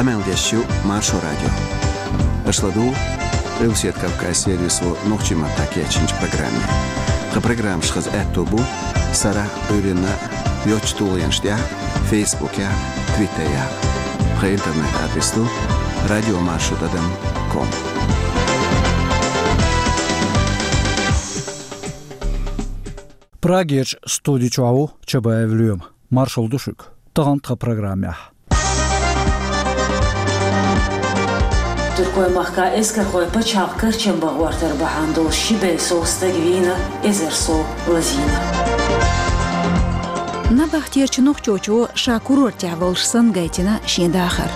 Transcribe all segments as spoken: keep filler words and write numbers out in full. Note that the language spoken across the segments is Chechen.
Къамел деш ю Маршо радио. Аша ладугӀу Къилбаседа Кавказ сервисо нохчийн маттахь кечйинчу программе. Тхан программаш хаза аьтто бу сарахь, Ӏуьйранна йоцчу тулгӀенаш тӀехь, Фейсбукехь, Твиттерехь. Тхан интернет-адрес ду радиомаршо тӀадам ком. Прагерчу студи чохь ву Чабаев Лоьма. Маршалла ду шуьга. Тахана тхан программехь. Туркойн махкахь эскархойн пачхьалкх карчам бан гӀортар бахьана долуш ши бӀе сов стаг вийна, эзар сов лазийна. Набахтерчу нохчочо ша курортехь волуш санна гайтина шен дахар.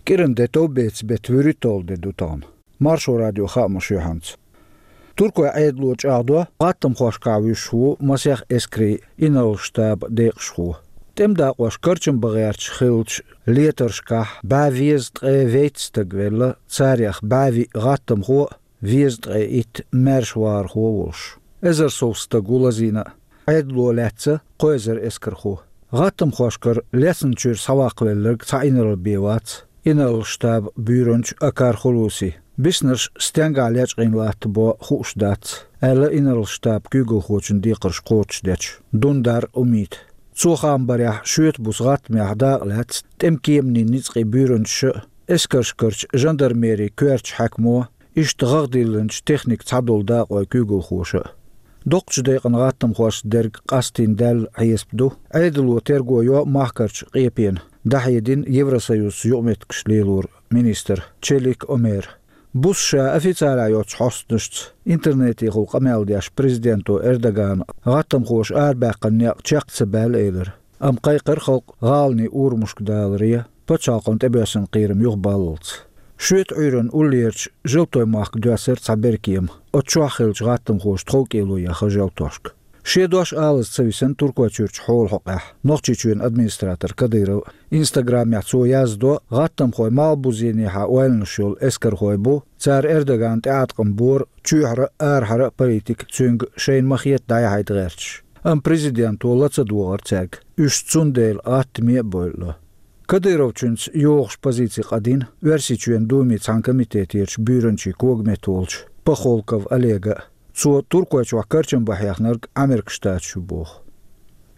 КӀиран де товбеца беттан вуьрхӀитталгӀа де ду тахана. Маршо радион хаамаш юьхьанца. Туркойн Ӏедало чӀагӀдо, гӀаттамхошкахь вуьсуш ву масех эскарийн инарла штабан декъашхо. ТӀеман дакъош карчам бан гӀерташ хиллачу летаршкахь бӀе везткъе вейтта стаг велла, царех бӀе виъ гӀаттамхо а, везткъе итт маьршавахархо а волуш. Эзар сов стаг ву лазийна а. Ӏедало лаьцна кхо эзар эскархо. ГӀаттамхошкара лецначуьра схьаваккхавелларг цхьа инарла бен вац, инарла штабан буьйранча Акар Хулуси. Биснарш стенгахь лечкъийна латтабо хууш дац, аьлла инарла штабан куьйгалхочун декхарш кхочушдечу Дундар Умита. Цо хаам барехь, шоьтан буса гӀаттамехь дакъа лаьцна тӀеман кеманийн ницкъийн буьйранчаша а, эскаршкарчу жандармерин коьртачу хьаькамо, иштта гӀагӀ диллинчу техникан цхьадолу дакъойн куьйгалхоша а. Доккхачу декъана гӀаттамхошца дерг къастийна даьлла хьесап ду, Ӏедало терго йо махкарчу къепенна, дӀахьедина Евросоюзца юкъаметтигаш лелоран министра Челик Омера. Буса ша официалехь йоцчу хьостанашца интернетехула къамел деш президенто Эрдогана гӀаттамхоша арабаьккхина некъ чекх ца баьлла элира. Амма кхайкхира халкъ гӀаланийн урамашка даларе, пачхьалкхана тӀебоьссина кхерам юхабаллалц. Шоьтан Ӏуьйранна уллерчу Желтойн махка доьссира цхьа беркема, оцу чохь хиллачу гӀаттамхоша тховкӀело яьхна желтошка. Шен дош алаза ца висина Туркойчуьрчу хьолан хьокъехь Нохчийчоьнан администратор Кадыров. Инстаграмехь цо яздо, гӀаттамхой малхбузенехьа ойланаш йолу эскархой бу, цара Эрдогана тӀеӀаткъам бора чоьхьара а, арахьара а политика цуьнга шайна ма-хетта дӀаяхьийта гӀерташ. Амма президенто ла ца догӀура цаьрга, уьш цундела гӀаттаме а бойъу. Кадыровчуьнца йогӀуш позици къадина Оьрсийчоьнан Думин цхьана комитетерчу буьйранчин когаметта волчу Пахолков Олега а. Цо Туркойчохь карчам бан хьехнарг Ӏамеркан Штаташ ю боху.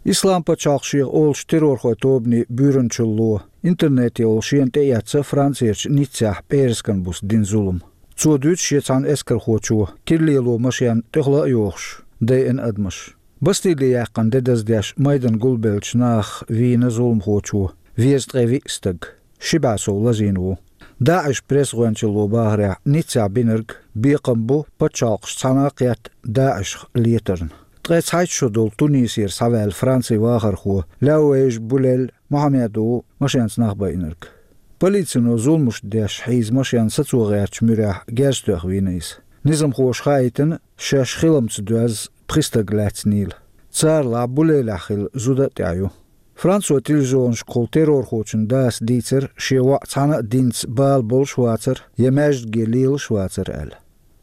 Ислам пачхьалкх шех олучу террорхойн тобанийн буьйранчалло интернетехула шена тӀеэцна Францерчу Ниццехь пӀераскан буса дина зулам. Цо дуьйцу шен цхьана эскархочо киралело машен тӀехула а йохуш, дайина адамаш. Бастиле яьккхина де даздеш майдан гулбеллачу нахах вийна зуламхочо везткъе виъ стаг, ши бӀе сов лазийна ву. ДАИШан пресс-гӀоьнчалло бахарехь, Ниццехь бинарг бекхам бу пачхьалкхаш цхьаьна а кхетта ДАИШах летарна. Ткъе цхьайтта шо долу Тунисера схьаваьлла Францин вахархо Лаувейж Булель Мохьаммед ву машенца нах байинарг. Полицино зуламаш деш хьийза машен сацо гӀертачу муьрехь герз тоьхна вийна иза. Низамхоша хаийтина, шаьш хиламца доьзна пхи стаг лаьцнийла. Царалахь Булелехь хилла зуда а тӀехь ю. Францойн телевизионашкахула террорхочун дас дийцира шен воӀ цхьана а динца бала болуш а вацара, я маьждиге лелаш а вацара аьлла.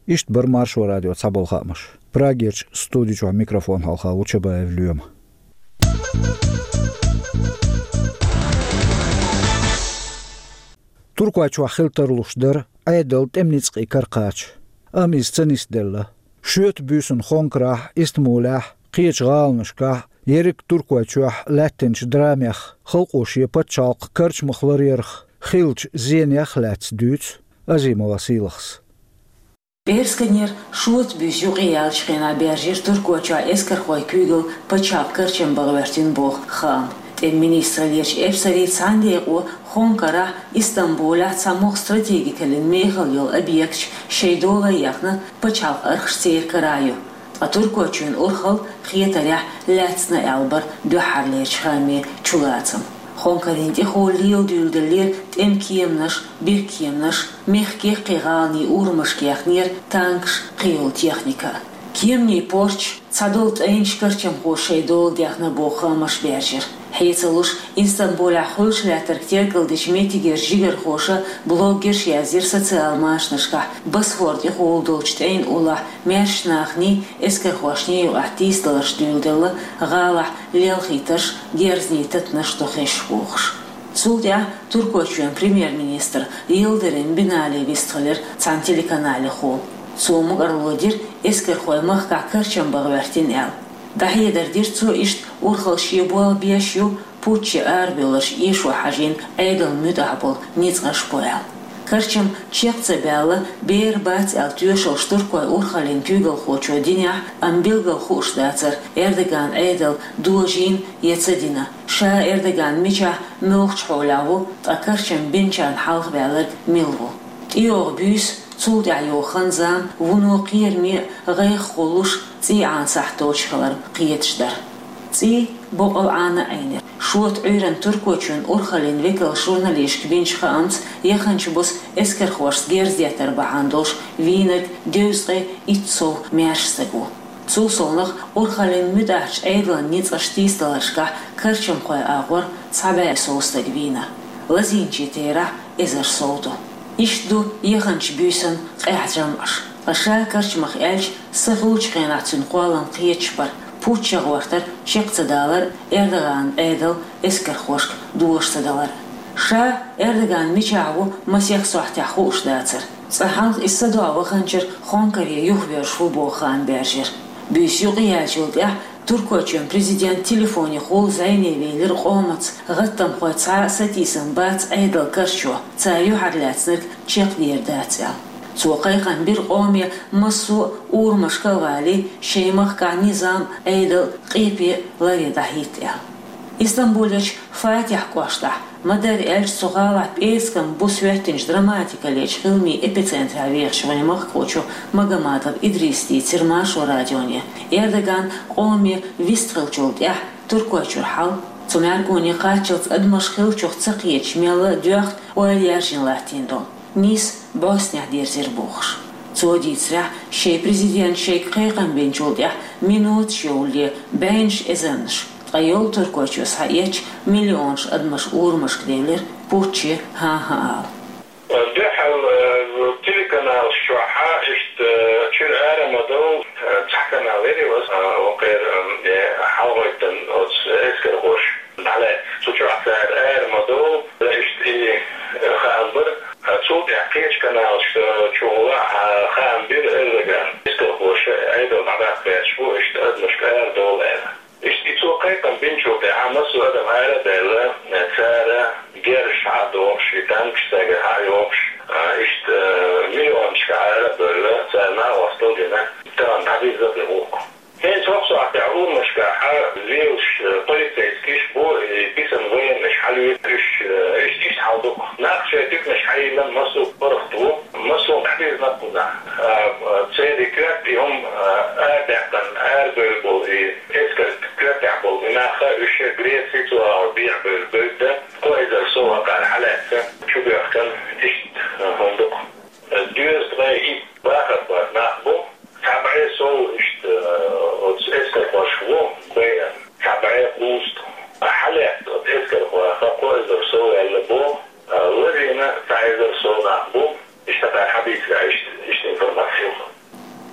Иштта бара Маршо радион цхьаболу хаамаш. Прагерчу студи чохь микрофон хьалха ву Чабаев Лоьма. Туркойчохь хила тарлуш дара Ӏедалан тӀеман ницкъийн кара кхача, амма иза ца нисделла. Шоьтан буьйсанна Хонкарахь, Истамбулехь, кхечу гӀаланашкахь, ерриг Туркойчохь лаьттинчу драмех, халкъо шен пачхьалкх карчамах ларъярх хиллачу зенех а лаьцна дуьйцу Азимова Сийлахьас. ПӀерасканера шоца буьйса юкъаяьллачу хенахь баьржира Туркойчохь эскархойн куьйгалла пачхьалкх карчам бан гӀоьртина боху хаам. ТӀеман министраллерчу эпсарийн цхьана декъо Хонкарахь, Истамбулехь цхьа могӀа стратегикаллин мехала йолу объекташ шайн дола яьхна, пачхьалкхан архаш церан карахь ю. Ткъа Туркойчоьнан урхалла хетарехь лаьцна аьлла бара дуьххьарлерчу хаамийн чулацам. Хонкарина тӀехула леладуьйладеллера тӀеман кеманаш, бехкеманаш, мехкан кхин гӀаланийн урамашка яьхнера танкаш, кхийолу техника. Кеманийн порташ, цхьадолу тӀайнаш карчамхоша шайн дола даьхна боху хаамаш баьржира. Хье ца луш, Истамбулехь хуьлуш лаьттарг тергалдечу меттигерчу жигархоша, блогерша яздира социал машанашкахь, Босфор тӀехула долчу тӀайн уллохь маьршачу наханий, эскархошний юкъахь тийсадаларш дуьйладелла, гӀалахь лелхийтарш, герзаний татанаш ду хезаш бохуш. Цул тӀаьхьа Туркойчоьнан премьер-министр Йылдырым Бинали вистхилира цхьана телеканалехула. Цо мукӀарло дира, эскархой махкахь карчам бан гӀоьртина аьлла. ДӀахьедар дира цо иштта урхалла шен болх беш ю, путче арабевлларш эшо хьажийна Ӏедална муьтӀахь болу ницкъаш бу аьлла. Карчам чекх ца баьлла, бер бац аьлла тоьшаллаш туркойн урхаллин куьйгалхочо динехь, амма билггал хууш дацара, Эрдоган Ӏедал дожийна я ца дина, ша Эрдоган мичахь, муьлхачу хьолехь ву, ткъа карчам бинчарна хьалха ваьлларг мила ву. ТӀейогӀу буьйса, цул тӀаьхьа йогӀу хан-зама вуно кхераме а, гӀайгӀа хуьлуш, цӀий Ӏана сахьт доцуш хилар кхеташ дара. ЦӀий боккъал Ӏана Ӏийнера. Шота Ӏуьйранна Туркойчоьнан урхаллин векалша журналисташка бинчу хаамца, яханчу буса эскархошца герз деттар бахьана долуш вийнарг дезткъе итт сов маьрша стаг ву. Цул совнаха, урхаллин муьтӀахьчу Ӏедалан ницкъаш тийсадаларшкахь карчамхойн агӀор цхьа бӀе сов стаг вийна. Лазийначийн терахь эзар сов ду. Иштта ду яханчу буьйсанна къаьхьа жамӀаш. Ткъа ша карчамах аьлча, са хуьлучу хенахь цуьнан кхоллам кхеташ бара, путч гӀортар чекх ца далар, Эрдоган Ӏедал эскархошка дош ца далар. Ша Эрдоган мичахь ву, масех сохьтехь хууш дацара. Цкъа хьалха иза садоӀа ваханчуьра хонкаре юхавоьрзуш ву боху хаам баьржира. Буьйса юкъаяьллачул тӀаьхьа Туркойчоьнан президент телефонехула зӀене вийлира къомаца, гӀаттамхой цхьа а сатийсам бац Ӏедалан карчо, цара юьхьарлаьцнарг чекхдер дац аьлла. Цо кхайкхам бира къоме массо а урамашка а валий, шайн махкахь низам, Ӏедал, къепе ларъян дӀахӀитта аьлла. Истамбулерчу Фатихь кӀоштахь, ма-дарра аьлча, цу гӀалахь пӀераскан буса хӀоьттинчу драматикаллечу хиламийн эпицентрехь вехачу вайн махкахочо Магомадов Идриса дийцира Маршо радионе, Эрдоган къоме вистхиллачул тӀаьхьа Туркойчуьра хьал, цу мӀаьргоне кхаччалц адамаш хиллачух ца кхеташ мелла а доьхна, ойла яржийна латтийна долу. Нийса бӀостанехь дирзира бохуш. Цо дийцарехь, шайн президента шайга кхайкхам бинчул тӀаьхьа миноташ йовлале бӀеннаш эзарнаш, ткъа йолу Туркойчоь схьаэцча, миллионаш адамаш урамашка девлира, путче хӀан-хӀа ала. Дуьхьал, э, телеканалаш чохь иштта, э, чуьра ара ма довла, э, цхьа канал яра и васа, э, вакхера, э, хьалагӀоьттина оцу эскархоша. Дале, цу чохь цара ара ма довла, иштта и, э, хаам бара. Цул тӀаьхьа кхечу каналаш, э, чухула, э, хаам бира Эрдоган, эскархоша Ӏедал дӀадаккха гӀерташ бу, иштта адамашка ара довла аьлла. Иштта и цо кхайкхам бинчул тӀаьхьа массо а адам ара а даьлла, э, цара герзаш схьа а дохуш, и танкаш цаьрга схьа а йохуш, э, иштта, э, миллионашка ара а бевлла, цара накъосталла дина, тахана дӀабирзина а бу гӀуллакх. ХӀинца хӀокху сохьтехь урамашкахь лелаш, э, полицейскиш бу, и бисина военнаш хьалуьйтуш, э, иштта, иштта хьал ду-кх. Нах шайн туьканаш хьайиллина массо а паргӀат ву, массо а дӀабирзина-кх уьш нах. А, а, церан и коьрта и хӀума, а, арадаьккхина, арабевлла болу и эскар коьртехь болу и нах, уьш Греци цу агӀор бехьа бевлла бевдда, кхо эзар сов хӀокхара хьалаьцна, чубоьхкина, иштта, а, хӀума ду-кх. Доьзткъе итт бахархой нах бу, цхьа бӀе сов иштта, э, оцу эскархошка ву байина, цхьа бӀе кхузткъа. Хьалаьцна оцу эскархойх кхо эзар сов ваьлла боху, э, лазийна цхьа эзар сов нах бу, иштта кхара хьадийцира, иштта, иштта информаци ю.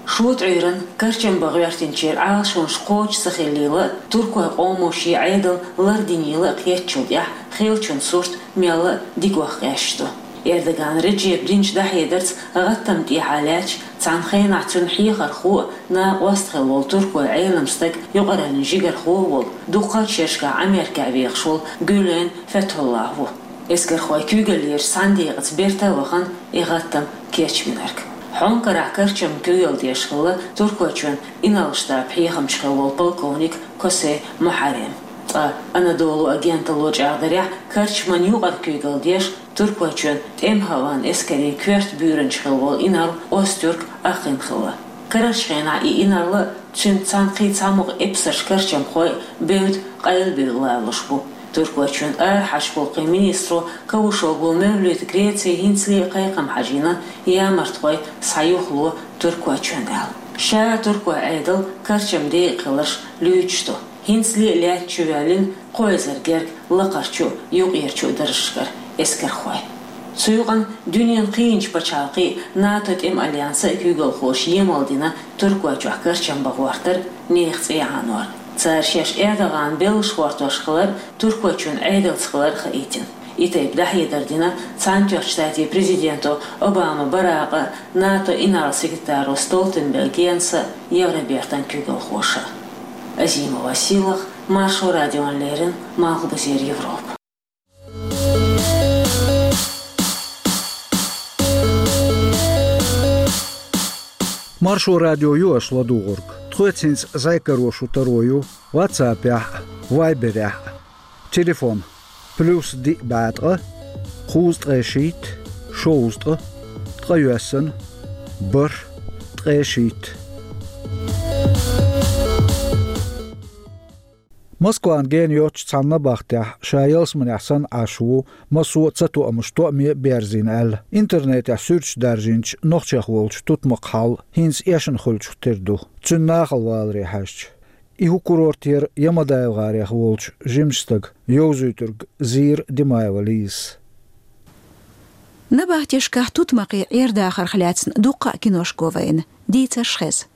Шота Ӏуьйранна карчам бан гӀоьртинчеран Ӏалашонаш кхочуш ца хиллийла а, туркойн къомо шен Ӏедал лардинийла а кхеттачул тӀаьхьа хиллачун сурт мелла а дикох къаьсташ ду. Эрдоган Реджепа динчу дӀахьедарца гӀаттамна тӀехьа лаьтташ, цхьана хенахь цуьнан хьехархо а, накъост хилла волу туркойн Ӏелам стаг, юкъараллин жигархо а волу, дуккхачу шерашкахь Америкехь вехаш волу Гюлен Фетхуллах ву. Эскархойн куьйгаллерчу цхьана декъаца берта а вахана, и гӀаттам кечбинарг. Хьонкарахь карчамна куьйгалла деш хилла Туркойчоьнан инарла штабан хьехамча хилла волу полковник Косе Мухьаррем. Ткъа Анадолу агенталло чӀагӀдарехь, карчамна юкъара куьйгалла деш, Туркойчоьнан тӀеман-хӀаваан эскарийн коьрта буьйранча хилла волу инарла Озтюрк Акъин хилла. Карарчу хенахь и инарла а, цуьнца цхьаьна кхин цхьа мукъа эпсарш карчамхой а бевдда къайлабевлла лоруш бу. Туркойчоьнан арахьарчу гӀуллакхийн министро Кавушоглу Мевлюта Греци хӀинцале а кхайкхам хьажийна, ямартхой схьаюхало Туркойчоьнна аьлла. Ша туркойн Ӏедал карчаман декъа хиларш луьйчуш ду. ХӀинцале лаьтта чу ваьллина кхо эзар герга лакхарчу а, юкъерчу а даржашкара эскархой. Цу юкъанна дуьненан кхийначу пачхьалкхийн а, НАТО тӀеман альянсан а куьйгалхоша емал дина Туркойчохь карчам бан гӀортар, нехан цӀе Ӏанор. Цара шаьш Эрдогана беллаш гӀортош хилар Туркойчоьнан Ӏедалца хилар хаийтина. И тайпа дӀахьедар дина Цхьаьнатоьхначу Штатийн президенто Обама Баракъа, НАТО инарла-секретаро Столтенберг Йенса, Евробертан куьйгалхоша. Азимова Сийлаха, Маршо радиона леррина, Малхбузера Европа. Маршо радио ю аша ладугӀург. Тхоьца хӀинца зӀе каро шун таро ю WhatsApp-ехь а, Viber-ехь а. Телефон: плюс диъ бӀе ткъа, кхузткъе шийтта, шовзткъа, ткъе йоьссана, бархӀ, ткъе шийтта. Москван гена йоцчу цхьана набахтехь ша ялсаманехь санна Ӏаш ву, массо а цатоамаш тоъаме а берзийна аьлла, интернетехь суьрташ даржийначу нохчех волчу тутмакхан хьал хӀинца эшна хуьлучух тера ду, цуьнан нахала валаре хьаьжча. И хӀун курорт яра ЯмадаевгӀарех волчу жимачу стага, йовзуьйтург Зийра Димаева Лизас. Набахтешкахь тутмакхийн Ӏер-дахарх лаьцна дуккха а киношка го вайна, дийцарш хеза.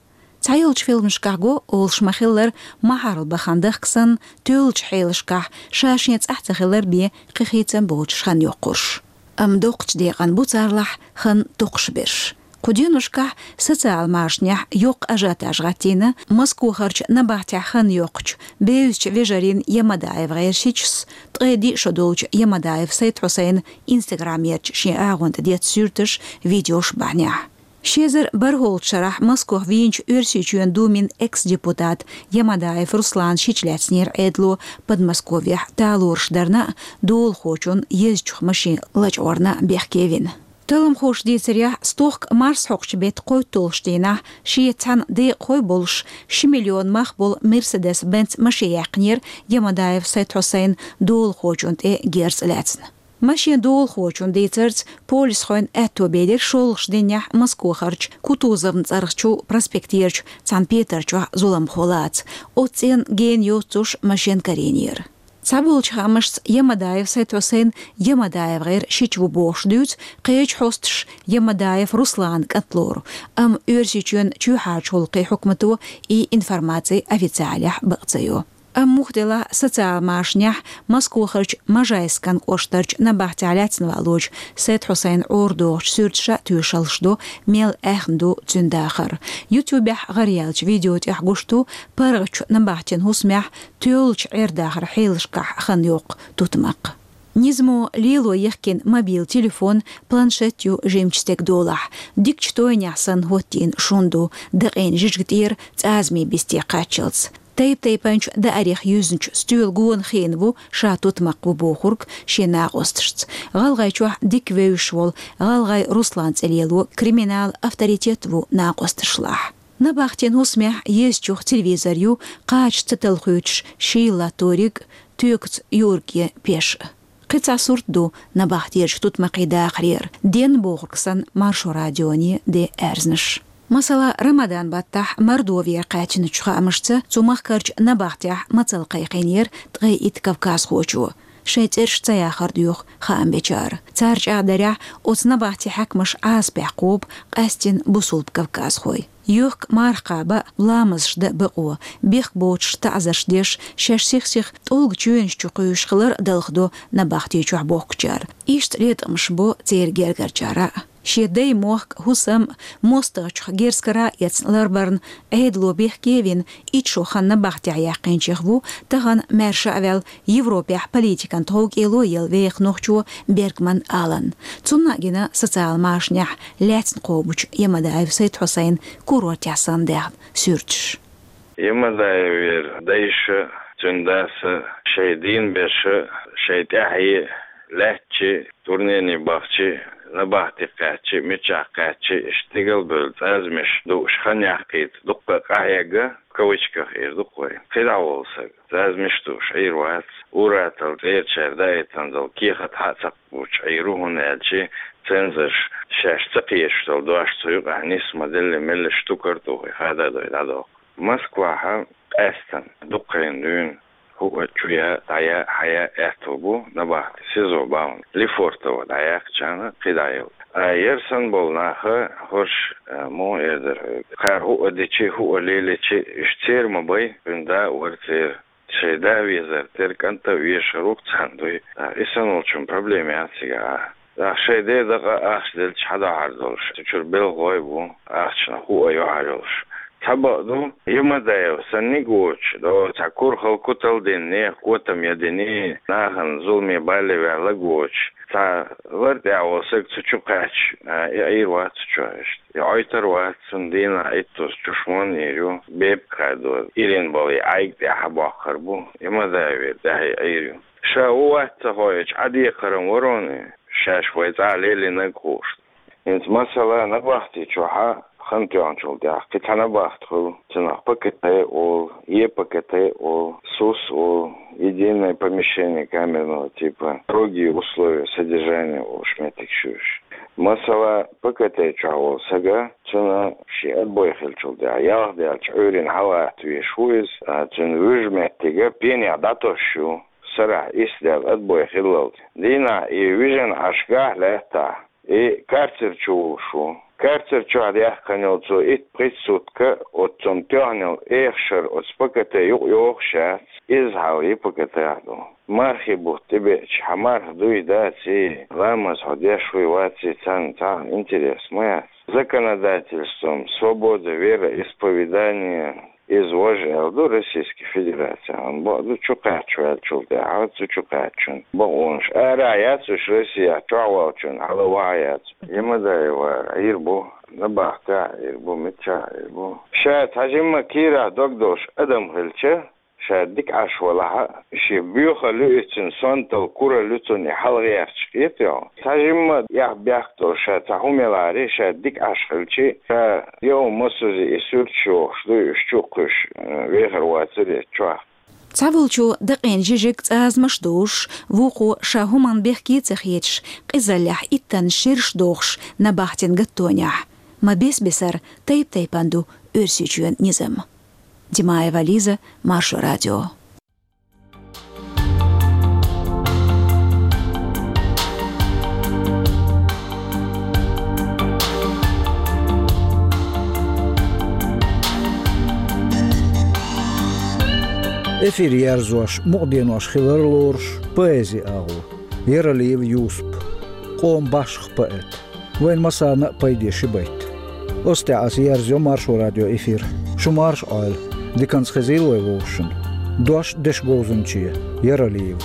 Цхьайолчу фильмашкахь го, олуш ма-хиллара, махьарал бахана дахка санна, тоьллачу хьелашкахь, ша-шен цӀахь ца хилар бен кхин хийцам боцуш хан йоккхурш. Амма доккхачу декъана бу царлахь хан токхуш берш. Кху деношкахь социал машанехь йоккха ажиотаж гӀаттийна Москохарчу набахтехь хан йоккхучу бевзачу вежарийн ЯмадаевгӀеран шичас, ткъе диъ шо долчу Ямадаев Сайд-Хьусайнан Instagram-ерчу шен агӀонта деттачу суьрташ, видеош бахьанехь. Ши эзар бархӀолгӀачу шарахь Москох вийначу Оьрсийчоьнан Думин экс-депутат Ямадаев Руслана шича лаьцнера Ӏедало Подмосковьехь талораш дарна а, долахочун езачух машен лачкъорна а бехке вина. Талламхоша дийцарехь, стохка марсхьокхучу беттан кхойтталгӀачу дийнахь шеца цхьаьна декъахой болуш, ши миллион мах болу Мерседес-Бенц машен яьккхинера Ямадаев Сайд-Хьусайн долахочун тӀе герз а лаьцна. Машен долахочун дийцарца, полисхойн аьтто белира шолгӀачу дийнахь Москохарчу Кутузовн цӀарахчу проспектерчу цхьана петар чохь зуламхо лаца, оцу цӀенна гена йоццуш машен карийнера. Цхьаболчу хаамашца, Ямадаев Сайд-Хьусайн ЯмадаевгӀеран шича ву бохуш дуьйцу кхечу хьосташа Ямадаев Русланан кӀант лору, амма Оьрсийчоьнан чоьхьарчу гӀуллакхийн хьукмато и информаци официалехь бакъ ца йо. Амма муха делахь а, социал машанехь Москохарчу Можайскан кӀоштарчу набахтехь лаьцна валочу Сайд-Хьусайнан Ӏордохучу суьрташа а тоьшаллаш до, мел аьхна ду цуьнан дахар. YouTube-ехь гӀараяьллачу видео тӀехь гуш ду паргӀатчу набахтин хӀусамехь тоьллачу Ӏер-дахаран хьелашкахь хан йоккху тутмакх. Низамо лело яхкина мобил телефон, планшет ю жимачу стеган долахь, дикачу тойнехь санна хӀоттийна шун ду, дакъийна жижиг тӀера цӀазамийн бисте кхаччалц. Тайп-тайпанчу даарех юьзначу стоьла гонахийна ву ша тутмакх ву бохург шен накъосташца. ГӀалгӀайчохь дика вевзаш волу ГӀалгӀай Руслан цӀе лело криминалан авторитет ву накъосташлахь. Набахтин хӀусамехь езачух телевизор ю, кхача ца талхуьйтуш шийла латториг, тоькаца юург я пеш. Кхин цхьа сурт ду набахтечу тутмакхийн дахарера, денна бохург санна, Маршо радионе де аьрзнаш. Масала, Рамадан баттахь Мордовера кхаьчначу хаамашца, цу махкарчу набахтехь мацалла кхайкхийнера ткъе итт кавказхочо, шайн цӀераш ца яхар доьху хаам бечара. Цара чӀагӀдарехь, оцу набахтин хьаькамаш Ӏазапехь кхобу къаьсттина бусулба кавказхой. Йохка марха кхаба а, ламазаш дан а бакъо, бехк боцуш таӀзарш деш, шаьш сих-сиха тӀулган чоьнаш чу кхуьйсуш хилар а далхадо набахти чохь бохкучара. Иштта латкъамаш бо церан гергарчара а. Шен дай-мохк, хӀусам а мостагӀчух герз кара а эцна ларбарна Ӏедало бехке а вина, итт шо хан набахтехь яьккхинчех ву тахана маьрша а ваьлла, Европехь политикан тховкӀело елла веха нохчо Бергман Алан. Цунна а гина социал машанехь лаьцна кхобучу Ямадаев Сайд-Хьусайн курортехь санна даьхна суьрташ. Ямадаевера дайша, цуьнан даса шайн дийна берша, шайн тӀаьхье лаьттачи, турнене бахчи, набахти кхаьччи, мичахь кхаьччи, иштта стигал бевлла цӀазамаш дууш хан яккхийта дуккха къахьегна, кавычках эр ду-кх вай, кхидӀа волу сага. ЦӀазамаш дууш Ӏийр вац, ур-атталла цӀерачара даийтина долу кехат хьа а ца кхочуш Ӏийр ву, хӀунда аьлча цензорша шаьш ца кхеташ долу дош цу юкъахь нисса ма-делле, меллаша тукар а тухий, хададой дӀадоккху. Москвахь Аьстан дукхайна дуьйна хӀуъа чу я, дӀая, хьая аьттув бу набахти СИЗО бахьана. Лефортово дӀаяьккхачарна кхидӀа йолу. А ер санна болу наха хӀорш, а, муха эр дара хьоьга? Кхара хӀуъа дичи, хӀуъа леличи, уьш церан ма бай, хӀунда а вара церан. Шайн да везар тера кӀанта а вешар ву-кх царна дуй. А, и санна волчун проблема яц цигахь. Нах шайн ден дакъа ахча делча хьадахьар долуш, цу чуьра белхалой бу, ахчанах хӀуъа йохьар йолуш. Цхьа бакъ ду, Ямадаев санниг а воцуш, до цхьа кура хала кутал а дина, нехан котам а дина, нахана зуламе бале ваьллаг а воцуш, цхьа лар тӀехь волу саг цу чу кхаьчча, а, и Ӏийр вац цу чохь иштта. И Ӏойтар вац, цунна дийнахь иттуза чушмон йийр ю, бепиг хадо, ирина болу и Ӏайг тӀехь боккхур бу, Ямадаевера тӀехь и Ӏийр ю. Ша ву вац ца хоуьйтуш Ӏадекхаран вароне, шаьш вай цӀахь лелийнарг хууш. ХӀинца масала набахти чохьа хан тоьхначул тӀаьхьа кхин цхьа набахти хуьлу, цунах ПКТ олу, ЕПКТ олу, СУС олу, единое помещение камерного типа, строгие условия содержания олуш меттигаш ю уьш. Масала, ПКТ чохь волу сага, цунна шен отбой хиллачул тӀаьхьа, ялх даьлча Ӏуьйранна хьалаатта везаш ву иза, а, цуьнан вуьжу меттига пенехь дӀатосуш ю. Сарахь исс даьлла отбой хиллалц. Дийнахь и вижина Ӏаш гахь лаьттахь, и карцер чу вуьйлуш ву. Карцер чохь даьккхина йолу цо итт-пхийтта сутка оццунна тоьхна йолу эхашар оцу ПКТ юкъа йохуш яц, изза хьал и ПКТ-хь ду. Мархи бутт тӀебеача, хьан марха дуй, даций, ламаз хьо деш вуй, ваций, царна цхьа а интерес ма яц. Законодательством свобода вероисповедания, иза важа аьлла ду Российский Федерацехь, амма бакъду, чу кхаьчча ваьллачул тӀаьхьа, цу чу кхаьччун бакъонаш ара яц уьш Россехь, чохь волчун хьала ваха яц. Ямадаевара Ӏийр бу, набахтехь Ӏийр бу, миччахь Ӏийр бу. Ша цхьа жимма кийрахь дог долуш адам хилча, ша дика Ӏаш валахь а, шен боьхалла ю иза, цуьнан сонталла, куралла ю цунна, и хьалагӀерташ кхетий хьо? Цхьа жимма эх-бехк долуш ша цхьа хӀума ялахьара, ша дика Ӏаш хилча, ша йо массаза и суьрташ йохуш дуй, уьш чу а кхуьйсуш, э, вехар вацара иза чохь. Цхьаволчо дакъийна жижиг цӀазамаш дузуш, вукхо ша хӀуманна бехке а ца хеташ, къизаллехь иттанна шераш дохуш набахтин гаттонехь. Ма бес-бесара тайп-тайпана ду Оьрсийчоьнан низам. Димаева Лиза, Маршо радио. Эфир ерзош, мукъаденош хилар лоруш, поэзи агӀо, Яралиев Юсуп, къоман башха поэт. Вайна массарна а пайде ши байт. Оцу тӀехь аса ерзайо Маршо радио эфир. Шу марша Ӏойла. Диканца хезийла вай вовшашна. Дош дешан говзанче, Яралиевга.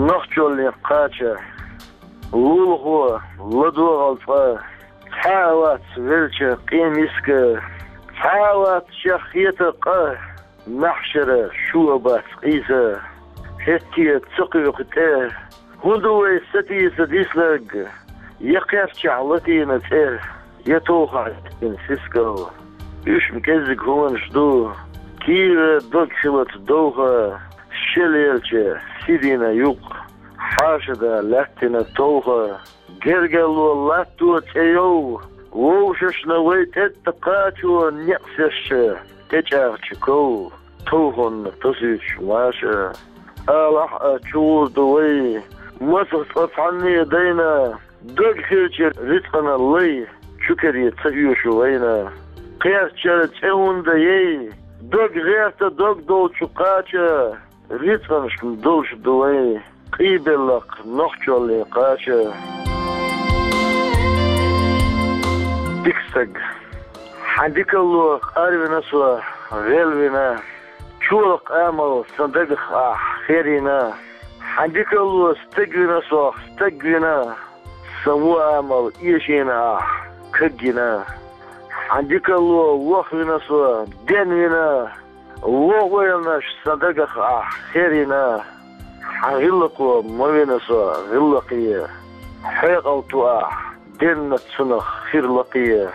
Нохчаллин кхача, лулахо, ладогӀал цкъа, цхьа а вац велча къемиска, цхьа а вац чехка хета къа. Маьхьшара шу а бац къийса, хӀетте а ца кхоьху тӀе. ХӀун ду вай сатийса диснарг? Я кхерчахь латийна цӀе, я товхахь лаьттина сискал. Уьш-м кӀеззиг хӀуманаш ду, кийра дог хилац довха, шел елча сий дина юкъ, хьаша да лаьттина товха. Гергарло латто цӀе йов, вовшашна вай тӀетта кхачо некъ сесча, тӀечӀагӀча ков, товхонна тосуьйтуш маша. Алахь а, чу гӀур ду вай, масах цкъа цхьанне дайна, дог хилча рицкъана лай, чу кере ца оьшу вайна. Кхерчара цӀе хӀунда яй, дог гӀерта дог долчу кхача, рицкъанаш долуш ду вай, къийбеллакх нохчаллин кхача. Дика стаг, хьан дикалло къарвина со, гӀелвина, чолакх амал сан дагах ахь херина. Хьан дикалло стегвина сох, стагвина, сан вон амал эшийна ахь кагйина. Хьан дикалло вохвина со, денвина, вон ойланаш сан дагах ахь херина. Хьан гӀиллакхо ма вина со гӀиллакхе, хьекъал ту ахь денна цунах хир лакхе.